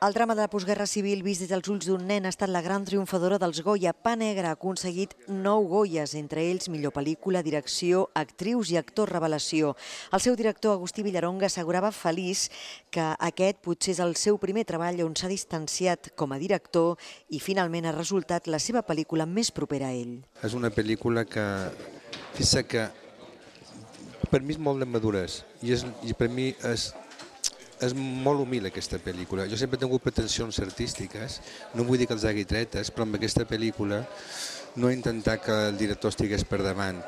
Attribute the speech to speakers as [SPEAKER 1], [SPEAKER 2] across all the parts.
[SPEAKER 1] El drama de la postguerra civil vist des dels ulls d'un nen ha estat la gran triomfadora dels Goya. Pa Negre ha aconseguit 9 Goyes, entre ells millor pel·lícula, direcció, actrius i actor revelació. El seu director, Agustí Villaronga, assegurava feliç que aquest potser és el seu primer treball on s'ha distanciat com a director i finalment ha resultat la seva pel·lícula més propera a ell.
[SPEAKER 2] És una pel·lícula que, fixa que per mi és molt de maduresa i per mi és molt humil aquesta pel·lícula. Jo sempre he tingut pretensions artístiques, no vull dir que els hagi tretes, però amb aquesta pel·lícula no he intentat que el director estigués per davant.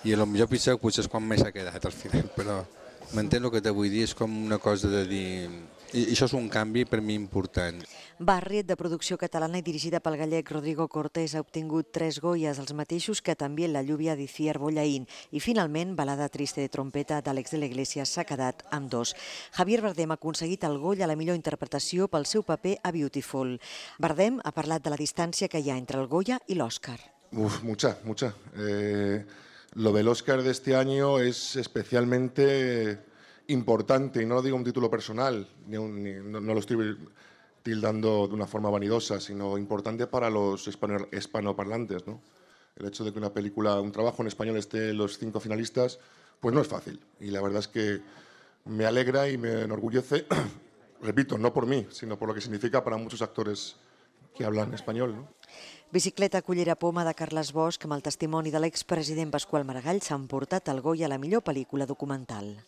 [SPEAKER 2] I potser potser és quan més s'ha quedat al final, però m'entén el que te vull dir, és com una cosa de dir... I això és un canvi per mi important.
[SPEAKER 1] Barriet, de producció catalana i dirigida pel gallec Rodrigo Cortés, ha obtingut 3 Goyes, els mateixos que també la lluvia d'Iciar Bollaín. I finalment, Balada triste de trompeta d'Àlex de la Iglesia s'ha quedat amb 2. Javier Bardem ha aconseguit el Goya a la millor interpretació pel seu paper a Beautiful. Bardem ha parlat de la distància que hi ha entre el Goya i l'Oscar.
[SPEAKER 3] Mucha. Lo del Oscar de este año es especialmente importante, y no lo digo un título personal, no lo estoy tildando de una forma vanidosa, sino importante para los hispanoparlantes, ¿no? El hecho de que una película, un trabajo en español esté en los 5 finalistas, pues no es fácil. Y la verdad es que me alegra y me enorgullece, repito, no por mí, sino por lo que significa para muchos actores que hablan español, ¿no?
[SPEAKER 1] Bicicleta Cullera Poma de Carles Bosch, amb el testimoni de l'expresident Pasqual Maragall, s'ha emportat el Goya a la millor pel·lícula documental.